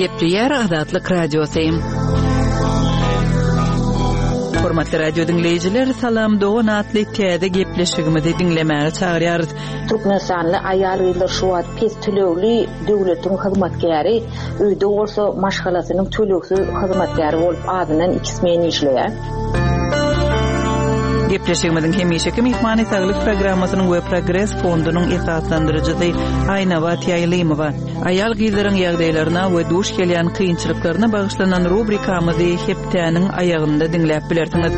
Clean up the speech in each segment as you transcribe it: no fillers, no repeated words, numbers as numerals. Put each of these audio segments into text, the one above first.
Gepleýär Azatlyk Radiosy. Hormatly radio diňleýjiler, Salam dogan atly täze gepleşigimizi diňlemäge çagyrýarys. Türkmenistanly aýal-gyzlar şu wagt pes tölegli döwletiň hyzmatkäri, öýde bolsa maşgalasynyň tölegsiz hyzmatkäri bolup azyndan iki smen işleýär. Gepleşigimiziň hemişeki myhmany Saglyk programmasynyň we Progres fondunyň esaslandyryjysy Aýnabat Ýaýlymowa. Aýal-gyzlaryň ýagdaýlaryna we duş gelýän kynçylyklaryna bagyşlanan rubrikamyzy hepdäniň aýagynda diňläp bilersiňiz.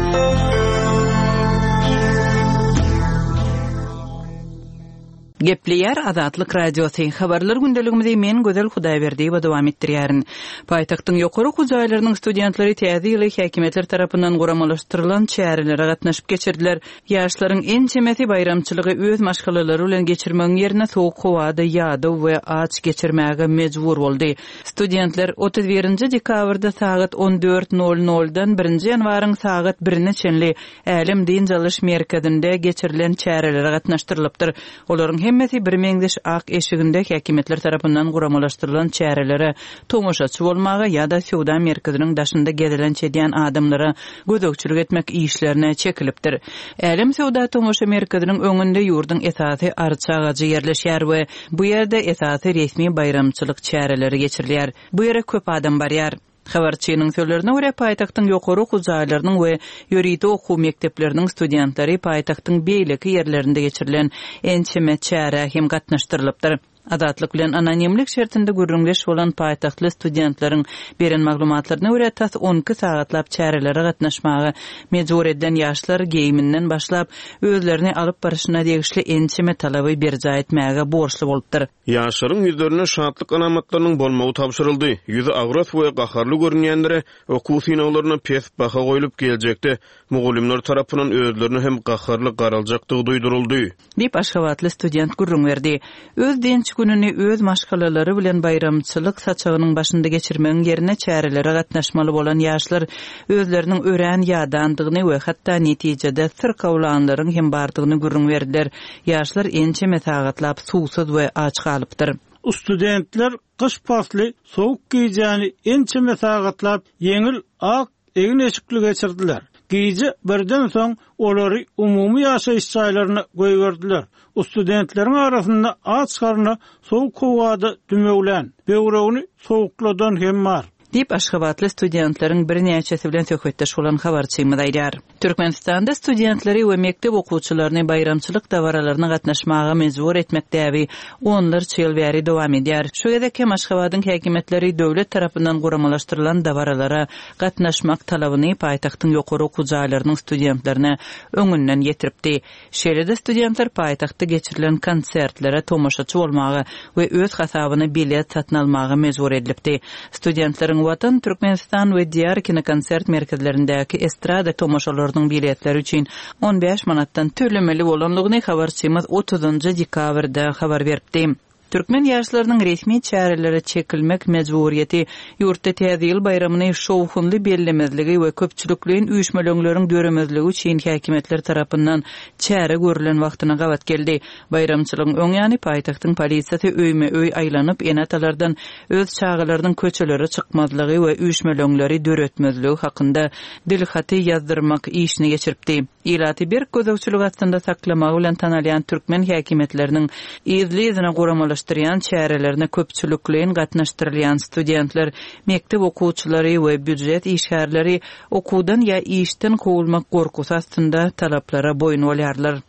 Gepleýär Azatlyk Radiosy. Habarlar gündeligimizi men Gözel Hudaýberdiýewa dowam etdirýärin. Paýtagtyň ýokary okuw jaýlarynyň studentleri Täze ýyly häkimiýetler tarapyndan guramalaşdyrylan çärelere gatnaşyp geçirdiler. Ýaşlaryň ençemesi baýramçylygy öz maşgalalary bilen geçirmegiň ýerine sowuk howada ýadaw we aç geçirmäge mejbur boldy. Studentler 31 dekabrda sagat 14 nol noldan birinji ýanwaryň sagat birine çenli Älem dynç alyş merkezinde geçirilen çärelere gatnaşdyrylypdyr. Olaryň hemmesi birmeňzeş ak eşiginde häkimiýetler tarapyndan guramalaşdyrylan çärelere tomaşaçy bolmaga ýa-da söwda merkeziniň daşynda gezelenç edýän adamlara gözegçilik etmek işlerine çekilipdir. Älem söwda-tomaşa merkeziniň öňünde ýurduň esasy arça agajy ýerleşýär we bu ýerde esasy resmi baýramçylyk çäreleri geçirilýär. Bu ýere köp adam barýar. Habarçynyň sözlerine görä, paýtagtyň ýokary okuw jaýlarynyň we ýörite okuw mekdepleriniň studentleri paýtagtyň beýleki ýerlerinde geçirilen ençeme çärä hem gatnaşdyrylypdyr. Azatlyk bilen anonimlik şertinde gürrüňdeş bolan paýtagtly studentleriň beren maglumatlaryna görä, tas 12 sagatlap çärelere gatnaşmaga mejbur edilen ýaşlar geýiminden başlap, özlerini alyp baryşyna degişli ençeme talaby berjaý etmäge borçly bolupdyr. Ýaşlaryň ýüzlerinde şatlyk alamatlarynyň bolmagy tabşyryldy. Ýüzi agras we gaharly görünýänlere okuw synaglarynda pes baha goýlup, geljekde mugallymlar tarapyndan özlerine hem gaharly garaljakdygy duýduryldy. Diýip, aşgabatly student gürrüň berdi. Öz dynç gününi öz maşgalalary bilen baýramçylyk saçagynyň başynda geçirmegiň ýerine çärelere gatnaşmaly bolan ýaşlar özleriniň örän ýadandygyny we hatda netijede syrkawlanlaryň hem bardygyny gürrüň berdiler. Ýaşlar ençeme sagatlap suwsuz we aç galypdyr. Studentler gyş pasly sowuk gijäni ençeme sagatlap ýeňil ak egin-eşikli geçirdiler. Gije birden soň olary umumy ýaşaýyş jaýlaryna goýberdiler. Studentleriň arasynda aç garna sowuk howada dümewlän, böwregini sowukladan hem bar. Diýip, aşgabatly studentleriň birnäçesi bilen söhbetdeş bolan habarçymyz aýdýar. Türkmenistanda studentleri we mekdep okuwçylaryny baýramçylyk dabaralaryna gatnaşmaga mejbur etmek däbi onlarça ýyl bäri dowam edýär. Şu gezek hem Aşgabadyň häkimiýetleri döwlet tarapyndan guramalaşdyrylan dabaralara gatnaşmak talabyny paýtagtyň ýokary okuw jaýlarynyň studentlerine öňünden ýetiripdi. Şeýle-de studentler paýtagtda geçirilen konsertlere tomaşaçy bolmaga we öz hasabyna bilet satyn almaga mejbur edilipdi. Studentleriň Watan, Türkmenistan we Diýar kinokonsert merkezlerindäki estrada tomaşalarynyň biletleri üçin 15 manatdan tölemeli bolandygyny habarçymyz otuzynjy dekabrda habar beripdi. Türkmen ýaşlarynyň resmi çärelere çekilmek mejburyýeti ýurtda Täze ýyl baýramyny şowhunly bellemezligi we köpçülikleýin üýşmeleňleriň döremezligi üçin häkimiýetler tarapyndan çäre görlen wagtyna gabat geldi. Baýramçylygyň öň ýany paýtagtyň polisiýasy öýme-öý aýlanyp, ene-atalardan öz çagalarynyň köçelere çykmazlygy we üýşmeleňleri döretmezligi hakynda dilhaty ýazdyrmak işini geçiripdi. Ilaty berk gözegçilik astynda saklamagy bilen tanalýan türkmen häkimiýetleriniň yzly-yzyna guramalaşdyrýan çärelerine köpçülikleýin gatnaşdyrylýan studentler, mekdep okuwçylary we býujet işgärleri okuwdan ýa işden kowulmak gorkusy astynda talaplara boýun bolýarlar.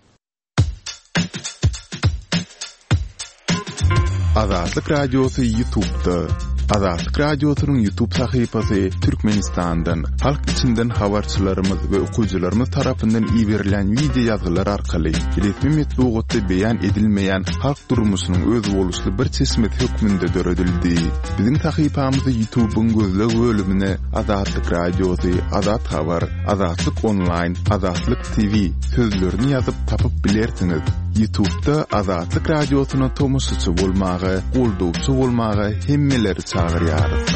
Azatlyk Radiosy Ýutubda. Azatlyk Radiosynyň Ýutub sahypasy Türkmenistandan, halk içinden habarçylarymyz we okyjylarymyz tarapyndan iberilen wideo ýazgylar arkaly resmi metbugatda beýan edilmeýän halk durmuşynyň özboluşly bir çeşmesi hökmünde döredildi. Biziň sahypamyzy Ýutubyň gözleg bölümine Azatlyk Radiosy, Azat Habar, Azatlyk Onlaýn, Azatlyk TV sözlerini ýazyp tapyp bilersiňiz. Ýutubda Azatlyk Radiosyna tomaşaçy bolmaga, goldawçy bolmaga hemmeleri çagyrýarys.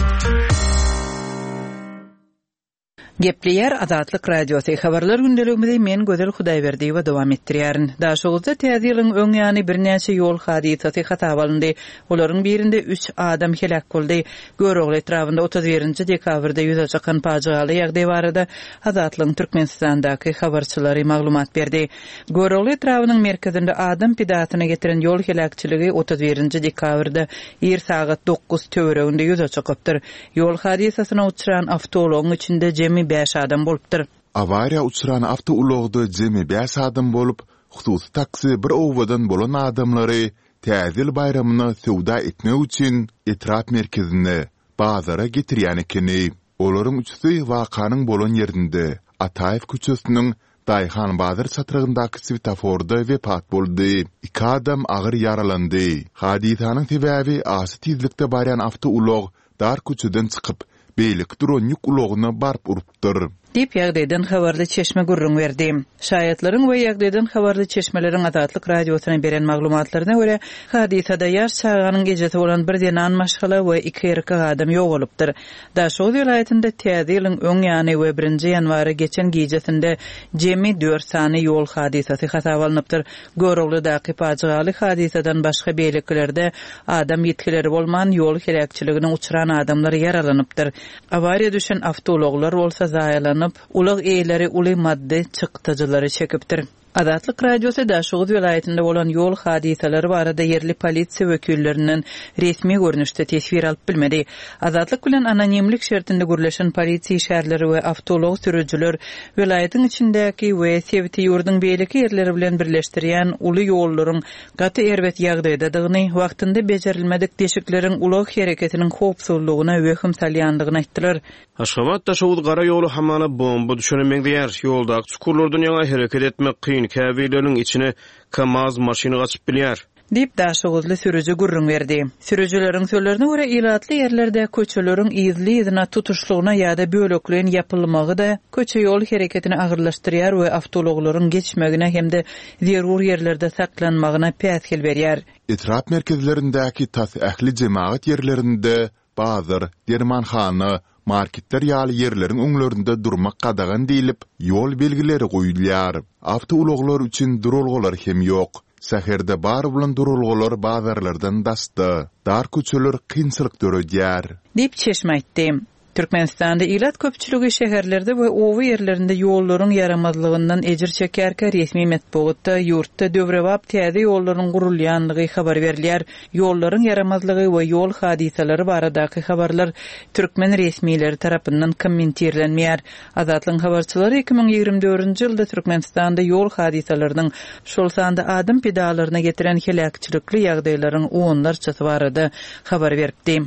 Gepleýär Azatlyk Radiosy, Habarlar gündeligimizi men Gözel Hudaýberdiýewa dowam etdirýärin. Daşoguzda Täze ýylyň öň ýany birnäçe ýol hadysasy hasaba alyndy. Olaryň birinde üç adam heläk boldy. Görogly etrabynda 31 nji dekabrda ýüze çykan pajygaly ýagdaý barada Azatlygyň Türkmenistandaky habarçylary maglumat berdi. Görogly etrabynyň merkezinde adam pidasyna getiren ýol heläkçiligi 31 nji dekabrda ir sagat dokuz töwereginde ýüze çykypdyr. Ýol hadysasyna uçran awtoulagyň içinde jemi bäş adam bolupdyr. Awariýa uçran awtoulagda jemi bäş adam bolup, hususy taksi bir obadan bolan adamlary Täze ýyl baýramyna söwda etmek üçin etrap merkezine, bazara getirýän ekeni. Olaryň üçüsi wakanyň bolan ýerinde, Ataýew köçesiniň Daýhan bazar çatrygyndaky swetoforda wepat boldy. Iki adam agyr ýaralandy. Hadysanyň sebäbi aşa tizlikde barýan awtoulag dar köçeden çykyp, beýleki duran ýük ulagyna baryp urupdyr. Diýip, ýagdaýdan habarly çeşme gürrüň berdi. Şaýatlaryň we ýagdaýdan habarly çeşmeleriň Azatlyk Radiosyna beren maglumatlaryna görä, hadysada ýaş çaganyň ejesi bolan bir zenan maşgala we iki erkek adam ýogalypdyr. Daşoguz welaýatynda Täze ýylyň öň ýany we birinji ýanwara geçen gijesinde jemi dört sany ýol hadysasy hasaba alnypdyr. Göroglydaky pajygaly hadysadan başga beýlekilerde adam ýitgileri bolman, ýol heläkçiligine uçran adamlar ýaralanypdyr. Awariýa düşen awtoulaglar bolsa zaýalanyp, ulag eýeleri uly maddy çykdajylary çekipdir. Azatlyk Radiosy Daşoguz welaýatynda bolan ýol hadysalary barada ýerli polisiýa wekillerinden resmi görnüşde teswir alyp bilmedi. Azatlyk bilen anonimlik şertinde gürleşen polisiýa işgärleri we awtoulag sürüjiler welaýatyň içindäki we sebiti ýurduň beýleki ýerleri bilen birleşdirýän uly ýollaryň gaty erbet ýagdaýdadygyny, wagtynda bejerilmedik deşikleriň ulag hereketiniň howpsuzlygyna wehim salýandygyny aýtdylar. Aşgabat-Daşoguz gara ýoly hamana bomba düşene meňzeýär. Ýoldaky çukurlardan ýaňa hereket etmek kyn, käbirleriniň içine KAMAZ maşyny gaçyp bilýär. Diýip, daşoguzly sürüji gürrüň berdi. Sürüjileriň sözlerine görä, ilatly ýerlerde köçeleriň yzly-yzyna tutuşlygyna ýa-da bölekleýin ýapylmagy-da köçe-ýol hereketini agyrlaşdyrýar we awtoulaglaryň geçmegine hem-de zerur ýerlerde saklanmagyna päsgel berýär. Etrap merkezlerindäki tas ähli jemagat ýerlerinde Bazar, dermanhana, marketler ýaly ýerleriň öňlerinde durmak gadagan diýlip, ýol belgileri goýulýar. Awtoulaglar üçin duralgalar hem ýok. Şäherde bar bolan duralgalar bazarlardan daşda. Dar köçeler kynçylyk döredýär. Diýip, çeşme aýtdy. Türkmenistanda ilat köpçüligi şäherlerde we oba ýerlerinde ýollaryň ýaramazlygyndan ejir çekýärkä, resmi metbugatda ýurtda döwrebap täze ýollaryň gurulýandygy habar berilýär. Ýollaryň ýaramazlygy we ýol hadysalary baradaky habarlar türkmen resmileri tarapyndan kommentirlenmeýär. Azatlygyň habarçylary 2024-nji ýylda Türkmenistanda ýol hadysalarynyň, şol sanda adam pidalaryna getiren heläkçilikli ýagdaýlaryň onlarçasy barada habar beripdi.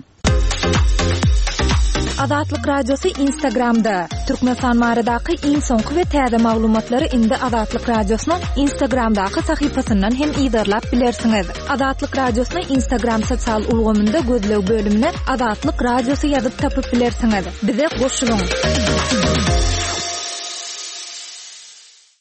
Azatlyk Radiosy Instagramda, Türkmenistan baradaky iň soňky we täze maglumatlary indi Azatlyk Radiosynyň Instagramdaky sahypasyndan hem yzarlap bilersiňiz. Azatlyk Radiosyny Instagram sosial ulgamynda gözleg bölümine Azatlyk Radiosy ýazyp tapyp bilersiňiz. Bize goşulyň!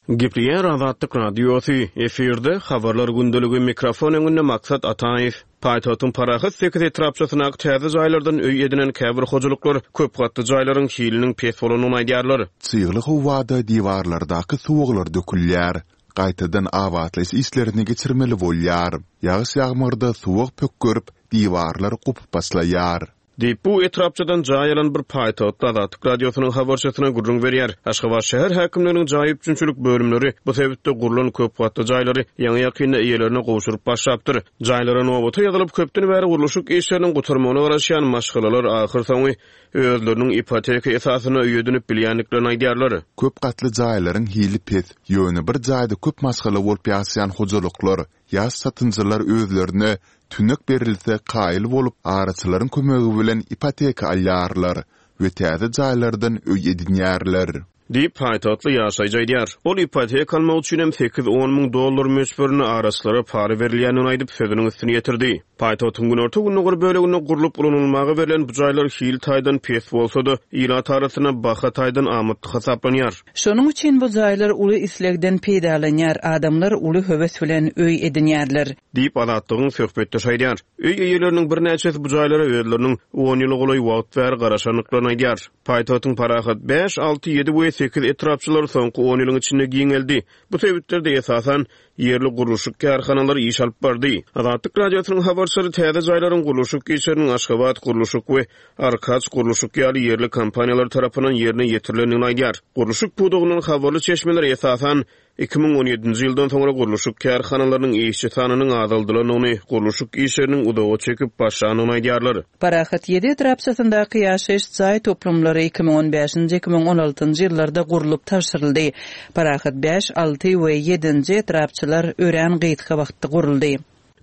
Gepleýär Azatlyk Radiosy, efirde, Habarlar gündeligi, mikrofon öňünde Maksat Ataýew. Paýtagtyň Parahat sekiz etrapçasyndaky täze jaýlardan öý edinen käbir hojalyklar köp gatly jaýlaryň hiliniň pes bolandygyny aýdýarlar. Çygly howada diwarlardaky suwaglar dökülýär, gaýtadan abatlaýyş işlerini geçirmeli bolýar. Ýagyş-ýagmyrda suwag pökgerip, diwarlar gopup başlaýar. Diýip, bu etrapçadan jaý alan bir paýtagtly Azatlyk Radiosynyň habarçysyna gürrüň berýär. Aşgabat şäher häkimliginiň jaý üpjünçilik bölümleri bu sebitde gurlan köp gatly jaýlary ýaňy-ýakynda eýelerine gowşuryp başlapdyr. Jaýlara nobata ýazylyp, köpden bäri gurluşyk işleriniň gutarmagyna garaşýan maşgalalar ahyrsoňy özleriniň ipoteka esasynda öý edinip bilýändiklerini aýdýarlar. Köp gatly jaýlaryň hili pes, ýöne bir jaýda köp maşgala bolup ýaşaýan hojalyklar Ýaş satynjylar özlerine tünek berilse kaýyl bolup, araçylaryň kömegi bilen ipoteka alýarlar we täze jaýlardan öý edinýärler. Diýip, paýtagtly ýaşaýjy aýdýar. Ol ipoteka almak üçin hem sekiz-on müň dollar möçberinde araçylara para berilýändigini aýdyp, sözüniň üstüni ýetirdi. Paýtagtyň günorta-gündogar böleginde gurlup ulanylmaga berlen bu jaýlar hil taýdan pes bolsa-da, ilat arasynda baha taýdan amatly hasaplanýar. Şonuň üçin bu jaýlar uly islegden peýdalanýar, adamlar uly höwes bilen öý edinýärler. Diýip, Azatlygyň söhbetdeşi aýdýar. Öý eýeleriniň birnäçesi bu jaýlara özleriniň on ýyla golaý wagt bäri garaşandyklaryny aýdýar. Paýtagtyň Parahat bäş, alty, ýedi we sekiz etrapçalary soňky on ýylyň içinde giňeldi. Bu sebitlerde, esasan, ýerli gurluşyk kärhanalary iş alyp bardy. Azatlyk Radiosynyň habarçylary täze jaýlaryň gurluşyk işleriniň Aşgabat gurluşyk we Arkaç gurluşyk ýaly ýerli kompaniýalar tarapyndan ýerine ýetirilendigini aýdýar. Gurluşyk pudagyndan habarly çeşmeler, esasan, 2017-nji ýyldan soňra gurluşyk kärhanalarynyň işçi sanynyň azaldylandygyny, gurluşyk işleriniň uzaga çekip başlandygyny aýdýarlar. Parahat ýedi etrapçasyndaky ýaşaýyş jaý toplumlary 2015-nji, 2016-njy ýyllarda gurlup tabşyryldy. Parahat bäş, alty we ýedinji etrapçalar örän gysga wagtda guruldy.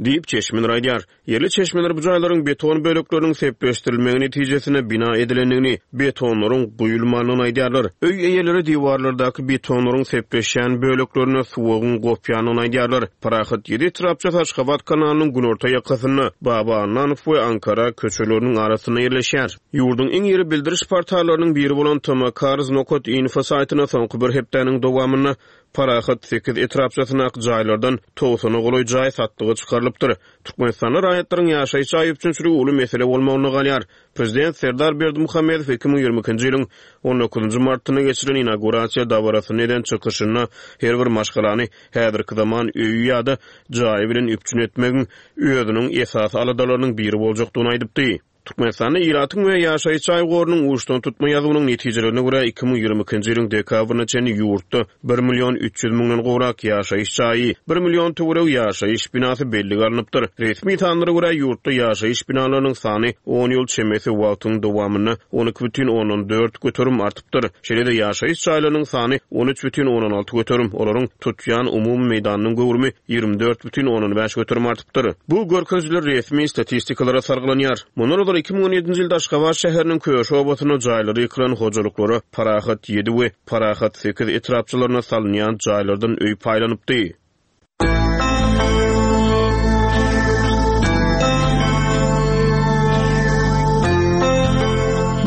Diýip, çeşmeler aýdýar. Ýerli çeşmeler bu jaýlaryň beton bölekleriniň sepleşdirilmegi netijesinde bina edilendigini, betonlaryň guýulmandygyny aýdýarlar. Öý eýeleri diwarlardaky betonlaryň sepleşýän böleklerinde suwagyň gopýandygyny aýdýarlar. Parahat ýedi etrapçasy Aşgabat kanalynyň günorta ýakasynda, Baba Annanow we Ankara köçeleriniň arasynda ýerleşýär. Ýurduň iň iri bildiriş portallarynyň biri bolan tmcars nokat info saýtynda soňky bir hepdäniň dowamynda Parahat sekiz etrapçasyndaky jaýlardan togsana golaý jaý satlyga çykarylypdyr. Türkmenistanda raýatlaryň ýaşaýyş jaý üpjünçiligi uly mesele bolmagynda galýar. Prezident Serdar Berdimuhamedow 2022-nji ýylyň on dokuzynjy martynda geçirilen inaugurasiýa dabarasynda eden çykyşynda her bir maşgalany häzirki zaman öýi ýa-da jaýy bilen üpjün etmegiň özüniň esasy aladalarynyň biri boljakdygyny aýdypdy. Türkmenistanda ilatyň we ýaşaýyş jaý gorunyň uçdantutma ýazuwynyň netijelerine görä, 2022-nji ýylyň dekabryna çenli ýurtda bir million 300 müňden gowrak ýaşaýyş jaýy, bir million töweregi ýaşaýyş binasy bellige alnypdyr. Resmi sanlara görä, ýurtda ýaşaýyş binalarynyň sany on ýyl çemesi wagtyň dowamynda 12,4% artypdyr. Şeýle-de ýaşaýyş jaýlarynyň sany 13,6%, olaryň tutýan umumy meýdanynyň göwrümi 24,5% artypdyr. Bu görkezijiler resmi statistikalara salgylanýar. Mundan ozal 2017-nji ýylda Aşgabat şäheriniň Köşi obasynda jaýlary ýykylan hojalyklara Parahat ýedi we Parahat sekiz etrapçalarynda salynýan jaýlardan öý paýlanypdy.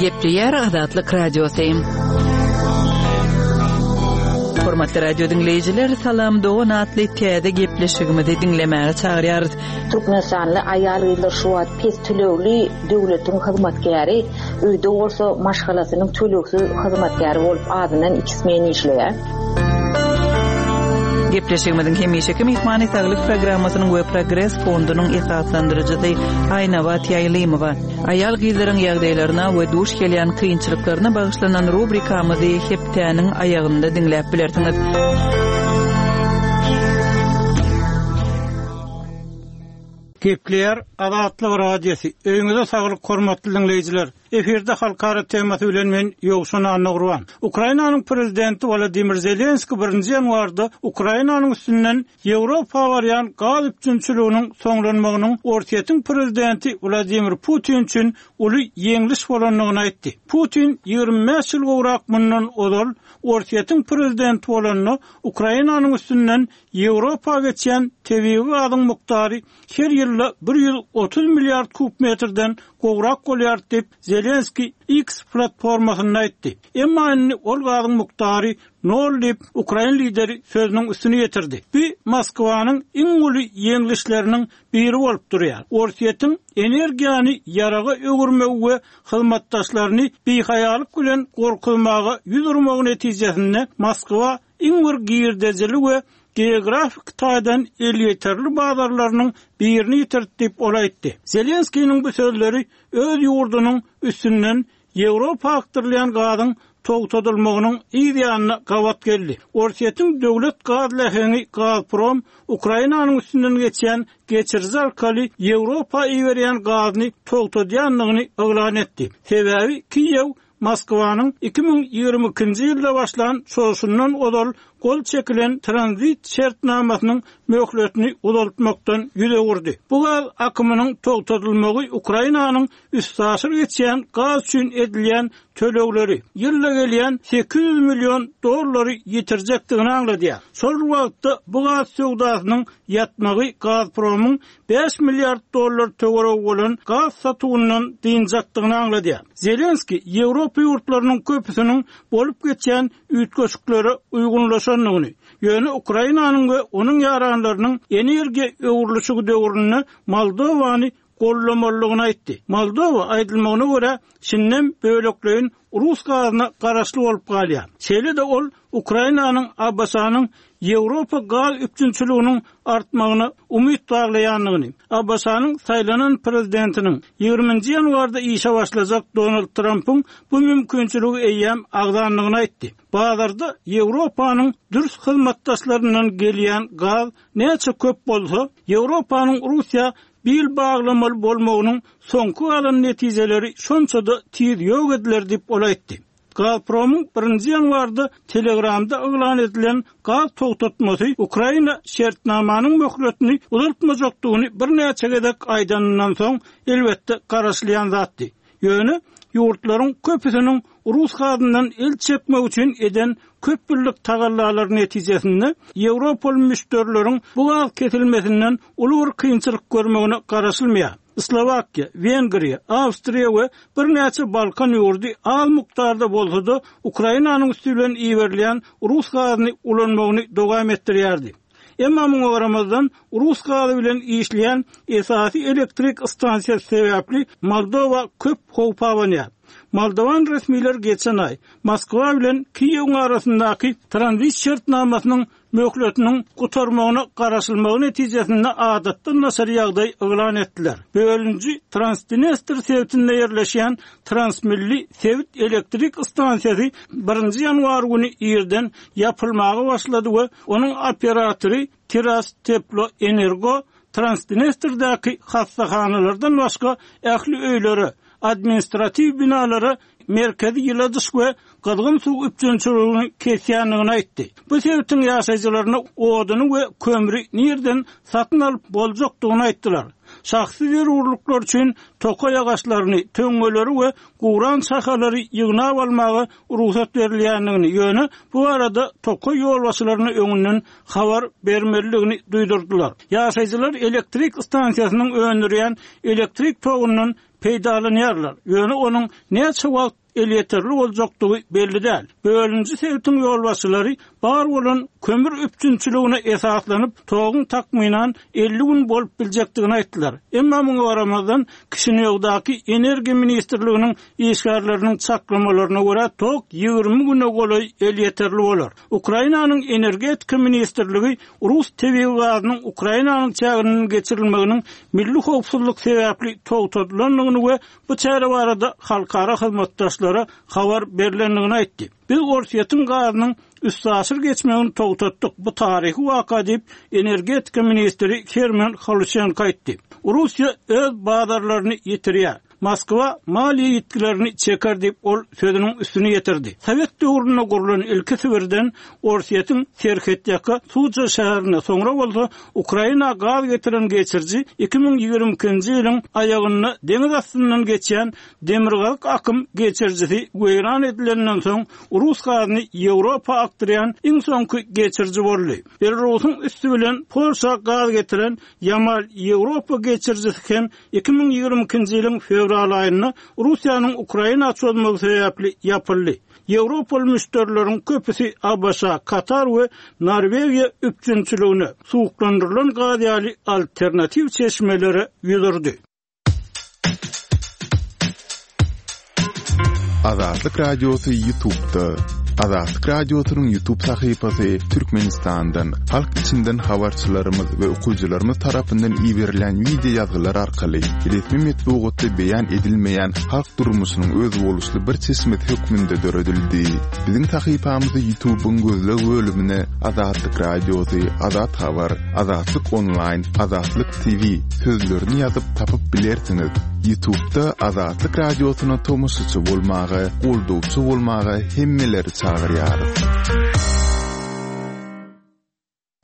Gepleýär Azatlyk Radiosy. Hormatly radio diňleýjiler, Salam dogan atly täze gepleşigimizi diňlemäge çagyrýarys. Türkmenistanly aýal-gyzlar şu wagt pes tölegli döwletiň hyzmatkäri, öýde bolsa maşgalasynyň tölegsiz hyzmatkäri bolup azyndan iki smen işleýär. Gepleşigimiziň hemişeki myhmany Saglyk programmasynyň we Progres fondunyň esaslandyryjysy Aýnabat Ýaýlymowa. Aýal-gyzlaryň ýagdaýlaryna we duş gelýän kynçylyklaryna bagyşlanan rubrikamyzy hepdäniň aýagynda diňläp bilersiňiz. Gepleýär Azatlyk Radiosy, Öýüňize saglyk hormatly diňleýjiler! Efirde halkara temasy bilen men Ýowşan Annagurban. Ukrainanyň prezidenti Wolodymyr Zelenskiý birinji ýanwarda Ukrainanyň üstünden Ýewropa barýan gaz üpjünçiliginiň soňlanmagynyň Orsýetiň prezidenti Wladimir Putin üçin uly ýeňliş bolandygyny aýtdy. Putin 25 ýyl gowrak mundan ozal Orsýetiň prezidenti bolanda Ukrainanyň üstünden Ýewropa geçýän tebigy gazyň mukdary her ýylda 130 milliard kub metrden gowrak bolýar diýip, Zelenskiý X platformasynda aýtdy. Emma indi ol gazyň mukdary nol diýip, ukrain lideri sözüniň üstüni ýetirdi. Bu Moskwanyň iň uly ýeňlişleriniň biri bolup durýar. Orsýetiň energiýany ýaraga öwürmegi we hyzmatdaşlaryny bihaýalyk bilen gorkuzmaga ýüz urmagy netijesinde Moskwa iň bir girdejili we geografik taýdan elýeterli bazarlarynyň birini ýitirdi diýip, ol aýtdy. Zelenskiniň bu sözleri öz ýurdunyň üstünden Ýewropa akdyrylýan gazyň togtadylmagynyň yz ýanyna gabat geldi. Orsýetiň döwlet gaz läheňi Gazprom Ukrainanyň üstünden geçýän geçiriji arkaly Ýewropa iberýän gazyny togtadýandygyny yglan etdi. Sebäbi Kiýew Moskwanyň 2022-nji ýylda başlan çozuşyndan ozal. gol çekilen tranzit şertnamasynyň möhletini uzaltmakdan ýüz öwürdi. Bu gaz akymynyň togtadylmagy Ukrainanyň üstaşyr geçýän gaz üçin edilýän tölegleri, ýylda gelýän 800 million dollary ýitirjekdigini aňladýar. Şol bir wagtda, bu gaz söwdasynyň ýatmagy Gazpromyň bäş milliard dollar töweregi bolan gaz satuwyndan dynjakdygyny aňladýar. Zelenskiý Ýewropa ýurtlarynyň köpüsiniň bolup geçýän üýtgeşiklere uýgunlaşandygyny, ýöne Ukrainanyň we onuň ýaranlarynyň energiýa öwrülişigi döwründe Moldowany goldamalydygyny aýtdy. Moldowa, aýdylmagyna görä, şindem bölekleýin rus gazyna garaşly bolup galýar. Şeýle-de ol Ukrainanyň ABŞ-nyň Ýewropa gaz üpjünçiliginiň artmagyna umyt baglaýandygyny, ABŞ-nyň saýlanan prezidentiniň, ýigriminji ýanwarda işe başlajak Donald Trampyň bu mümkinçiligi eýýäm agzandygyny aýtdy. Bazarda Ýewropanyň dürs hyzmatdaşlaryndan gelýän gaz näçe köp bolsa, Ýewropanyň Russiýa bil baglamaly bolmagynyň soňky galan netijeleri şonça-da tiz ýok ediler diýip, ol aýtdy. Gazpromyň birinji ýanwarda Telegramda yglan edilen gaz togtatmasy Ukraina şertnamanyň möhletini uzaltmajakdygyny birnäçe gezek aýdanyndan soň, elbetde, garaşylýan zatdy. Ýöne ýurtlaryň köpüsiniň rus gazyndan el çekmek üçin eden köp ýyllyk tagallalary netijesinde ýewropaly müşderileriň bu gaz kesilmesinden uly bir kynçylyk görmegine garaşylmaýar. Slowakiýa, Wengriýa, Awstriýa we birnäçe Balkan ýurdy az mukdarda bolsa-da Ukrainanyň üsti bilen iberilýän rus gazyny ulanmagyny dowam etdirýärdi. Emma muňa garamazdan, rus gazy bilen işleýän esasy elektrik stansiýasy sebäpli Moldowa köp howp abanýar. Moldowan resmiler geçen aý Moskwa bilen Kiýewiň arasyndaky tranzit şertnamasynyň möhletiniň gutarmagyna garaşylmagy netijesinde adatdan daşary ýagdaý yglan etdiler. Bölüniji Transdnestr sebitinde ýerleşýän Transmilli sebit elektrik stansiýasy birinji ýanwar güni irden ýapylmaga başlady we onuň operatory Tirasteploenergo Transdnestrdäki hassahanalardan başga ähli öýlere, administratiw binalara merkezi ýyladyş we gyzgyn suw üpjünçiligini kesýändigini aýtdy. Bu sebitiň ýaşaýjylaryna oduny we kömri nirden satyn alyp boljakdygyny aýtdylar. Şahsy zerurlyklar üçin tokaý agaçlaryny, töňňeleri we guran şahalary ýygnap almaga rugsat berilýändigini, ýöne bu barada tokaý ýolbaşçylaryna öňünden habar bermelidigini duýdurdylar. Ýaşaýjylar elektrik stansiýasynyň öndürýän elektrik togundan peýdalanýarlar, ýöne onuň näçe wagt elýeterli boljakdygy belli däl. Bölüniji sebitiň ýolbaşçylary bar bolan kömür üpjünçiligine esaslanyp, toguň takmynan 50 gün bolup biljekdigini aýtdylar. Emma muňa garamazdan, Kişinýowdaky Energiýa ministrliginiň işgärleriniň çaklamalaryna görä, tok 20 güne golaý elýeterli bolar. Ukrainanyň Energetika ministrligi rus tebigy gazynyň Ukrainanyň çäginden geçirilmeginiň milli howpsuzlyk sebäpli togtadylandygyny we bu çäre barada halkara hyzmatdaşlara habar berlendigini aýtdy. Biz Orsýetiň gazynyň üstaşyr geçmegini togtatdyk, bu taryhy waka diýip, energetika ministri Herman Haluçenko aýtdy. Russiýa öz bazarlaryny ýitirýär. Moskwa maliýe ýitgilerini çeker diýip, ol sözüniň üstüni ýetirdi. Sowet döwründe gurlan ilki Sibirden Orsýetiň serhetýaka Suja şäherine, soňra bolsa Ukraina gaz getiren geçiriji 2022-nji ýylyň aýagynda deňiz astyndan geçýän Demirgazyk akym geçirijisi weýran edilenden soň rus gazyny Ýewropa akdyrýan iň soňky geçiriji boldy. Belarusyň üsti bilen Polşa gaz getiren Ýamal-Ýewropa geçirijisi hem 2022-nji ýylyň fewral aýynda Russiýanyň Ukraina çozmagy sebäpli ýapyldy. Ýewropaly müşderileriň köpüsi ABŞ, Katar we Norwegiýa üpjünçiligine, suwuklandyrylan gaz ýaly alternatiw çeşmelere ýüz urdy. Azatlyk Radiosy YouTube'da. Azatlyk Radiosynyň YouTube sahypasy Türkmenistandan, halk içinden habarçylarymyz we okyjylarymyz tarapyndan iberilen wideo ýazgylar arkaly resmi metbugatda beýan edilmeýän halk durmuşynyň özboluşly bir çeşmesi hökmünde döredildi. Biziň sahypamyzy YouTube'yň gözleg bölümine Azatlyk Radiosy, Azat Habar, Azatlyk Onlaýn, Azatlyk TV sözlerini ýazyp tapyp bilersiňiz. Ýutubda Azatlyk Radiosyna tomaşaçy bolmaga, goldawçy bolmaga hemmeleri çagyrýarys.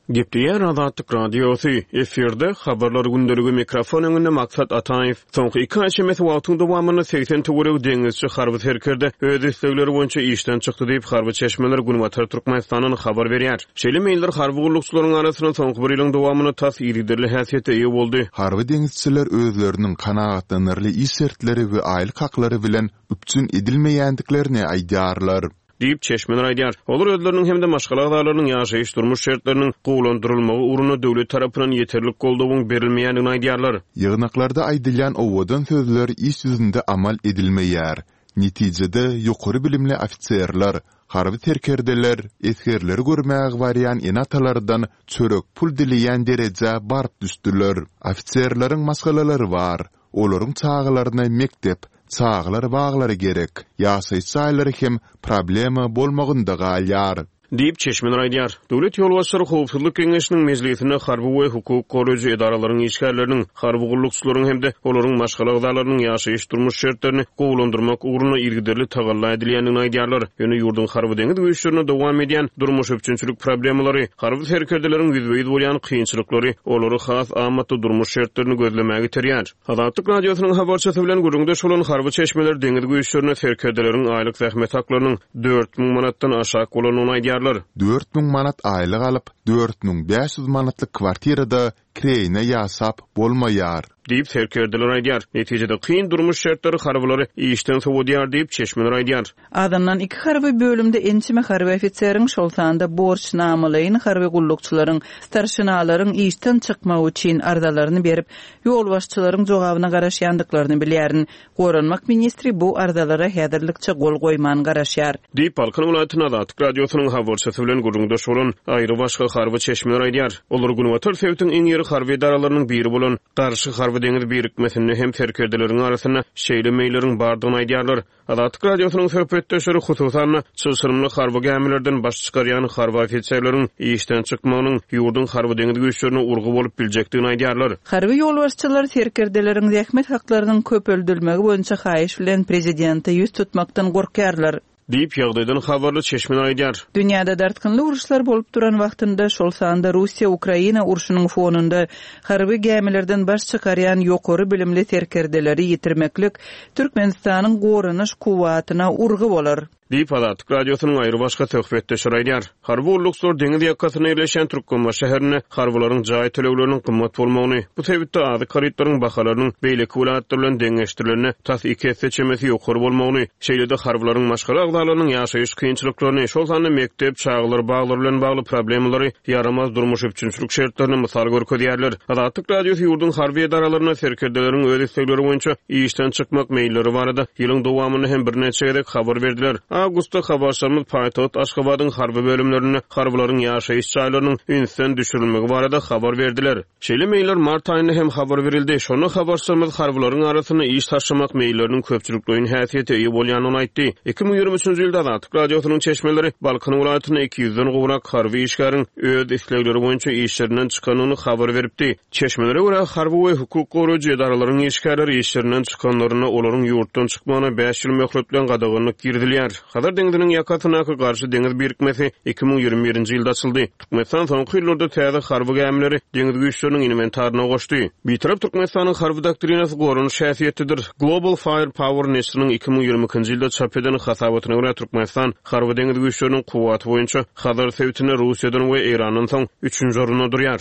Gepleýär Azatlyk Radiosy, efirde, Habarlar gündeligi, mikrofon öňünde Maksat Ataýew. Soňky iki aý çemesi wagtyň dowamynda 80 töweregi deňizçi harby serkerde öz islegleri boýunça işden çykdy diýip, harby çeşmeler Günbatar Türkmenistandan habar berýär. Şeýle meýiller harby gullukçylaryň arasynda soňky bir ýylyň dowamynda tas yzygiderli häsiýete eýe boldy. Harby deňizçiler özleriniň kanagatlanarly iş şertleri we aýlyk haklary bilen üpjün edilmeýändiklerini aýdýarlar. Diýip, çeşmeler aýdýar. Olar özleriniň hem-de maşgala agzalarynyň ýaşaýyş-durmuş şertleriniň gowulandyrylmagy ugrunda döwlet tarapyndan ýeterlik goldawyň berilmeýändigini aýdýarlar. Ýygnaklarda aýdylýan owadan sözler iş ýüzünde amal edilmeýär. Netijede, ýokary bilimli ofiserler, harby serkerdeler esgerleri görmäge barýan ene-atalardan çörek pul dileýän derejä baryp düşdüler. Ofiserleriň maşgalalary bar. Olaryň çagalaryna mekdep, çagalar baglary gerek. Ýaşaýyş jaýlary hem problema bolmagynda galýar. Diýip, çeşmeler aýdýar. Döwlet ýolbaşçylary Howpsuzlyk geňeşiniň mejlisinde harby we hukuk goraýjy edaralaryň işgärleriniň, harby gullukçylaryň hem-de olaryň maşgala agzalarynyň ýaşaýyş-durmuş şertlerini gowulandyrmak ugrunda yzygiderli tagalla edilýändigini aýdýarlar. Ýöne ýurduň harby-deňiz güýçlerinde dowam edýän durmuş-üpjünçilik problemalary, harby serkerdeleriň ýüzbe-ýüz bolýan kynçylyklary olary has amatly durmuş şertlerini gözlemäge iterýär. Azatlyk Radiosynyň habarçysy bilen gürrüňdeş bolan harby çeşmeler deňiz güýçlerinde serkerdeleriň aýlyk zähmet haklarynyň 4000 manatdan aşak bolandygyny aýdýarlar. 4000 manat aýlyk alyp, 4500 manatlyk kwartirada kireýine ýaşap bolmaýar. Diýip, serkerdeler aýdýar. Netijede, kyn durmuş şertleri harbylary işden sowadýar diýip, çeşmeler aýdýar. Azyndan iki harby bölümde ençeme harby ofiseriň, şol sanda borçnamalaýyn harby gullukçylaryň, starşinalaryň işden çykmagy üçin arzalaryny berip, ýolbaşçylaryň jogabyna garaşýandyklaryny bilýärin. Goranmak ministri bu arzalara häzirlikçe gol goýman garaşýar. Diýip, Balkan welaýatynda Azatlyk Radiosynyň habarçysy bilen gürrüňdeş bolan aýrybaşga harby çeşmeler aýdýar. Olar günbatar sebitiň iň iri harby edaralarynyň biri bolan Garşy harby-deňiz birikmesinde hem serkerdeleriň arasynda şeýle meýilleriň bardygyny aýdýarlar. Azatlyk Radiosynyň söhbetdeşleri, hususan-da, çylşyrymly harby gämilerden baş çykarýan harby ofiserleriň işden çykmagynyň ýurduň harby-deňiz güýçlerine urgy bolup biljekdigini aýdýarlar. Harby ýolbaşçylar serkerdeleriň zähmet haklarynyň köpeldilmegi boýunça haýyş bilen prezidente ýüz tutmakdan gorkýarlar. Diýip, ýagdaýdan habarly çeşmeler aýdýar. Dünýäde dartgynly uruşlar bolup duran wagtynda, şol sanda Russiýa-Ukraina urşunyň fonunda harby gämilerden baş çykarýan ýokary bilimli serkerdeleri ýitirmeklik Türkmenistanyň goranyş kuwwatyna urgy bolar. Diýip, Azatlyk Radiosynyň aýrybaşga söhbetdeşleri aýdýar. Harby gullukçylar deňiz ýakasynda ýerleşýän Türkmenbaşy şäherinde harbylaryň jaý tölegleriniň gymmat bolmagyny, bu sebitde azyk harytlaryň bahalarynyň beýleki welaýatlar bilen deňeşdirilende tas iki esse çemesi ýokary bolmagyny, şeýle-de harbylaryň maşgala agzalarynyň ýaşaýyş kynçylyklaryny, şol sanda mekdep, çagalar baglary bilen bagly problemalary, ýaramaz durmuş üpjünçilik şertlerini mysal görkezýärler. Azatlyk Radiosy ýurduň harby edaralarynda serkerdeleriň öz islegleri boýunça işden çykmak meýilleri barada ýylyň dowamynda hem birnäçe gezek habar berdiler. Awgustda habarçylarymyz paýtagt Aşgabadyň harby bölümlerinde harbylaryň ýaşaýyş jaýlarynyň ünsden düşürilmegi barada habar berdiler. Şeýle meýiller mart aýynda hem habar berildi. Şonda habarçylarymyz harbylaryň arasynda iş taşlamak meýilleriniň köpçülikleýin häsiýete eýe bolýandygyny aýtdy. 2023-nji ýylda Azatlyk Radiosynyň çeşmeleri Balkan welaýatynda 200-den gowrak harby işgäriň öz islegleri boýunça işlerinden çykandygyny habar beripdi. Çeşmelere görä, harby we hukuk goraýjy edaralaryň işgärleri işlerinden çykanlarynda olaryň ýurtdan çykmagyna bäş ýyl möhlet bilen gadaganlyk girizilýär. Hazar deňziniň ýakasyndaky Garşy deňiz birikmesi 2021-nji ýylda açyldy. Türkmenistan soňky ýyllarda täze harby gämileri deňiz güýçleriniň inwentaryna goşdy. Bitarap Türkmenistanyň harby doktrinasy goranyş häsiýetlidir. Global Fire Power neşiriniň 2022-nji ýylda çap eden hasabatyna görä, Türkmenistan harby-deňiz güýçleriniň kuwwaty boýunça Hazar sebitinde Russiýadan we Eýrandan soň üçünji orunda durýar.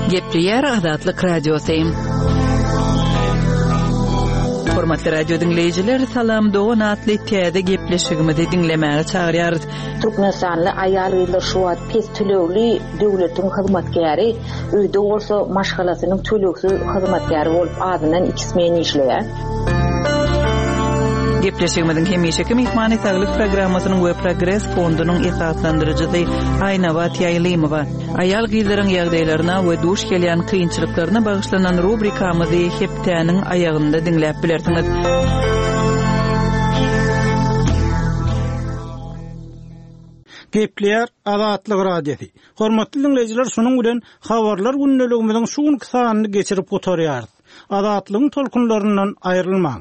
Gepleýär Azatlyk Radiosy. Hormatly radio diňleýjiler, Salam dogan atly täze gepleşigimizi diňlemäge çagyrýarys. Türkmenistanly aýal-gyzlar şu wagt pes tölegli döwletiň hyzmatkäri, öýde bolsa maşgalasynyň tölegsiz hyzmatkäri bolup azyndan iki smen işleýär. Gepleşigimiziň hemişeki myhmany Saglyk programmasynyň we Progres fondunyň esaslandyryjysy Aýnabat Ýaýlymowa. Aýal-gyzlaryň ýagdaýlaryna we duş gelýän kynçylyklaryna bagyşlanan rubrikamyzy hepdäniň aýagynda diňläp bilersiňiz. Gepleýär Azatlyk Radiosy. Hormatly diňleýjiler, şunuň bilen Habarlar gündeligimiziň şu günki sanyny geçirip gutarýarys. Azatlygyň tolkunlaryndan aýrylmaň!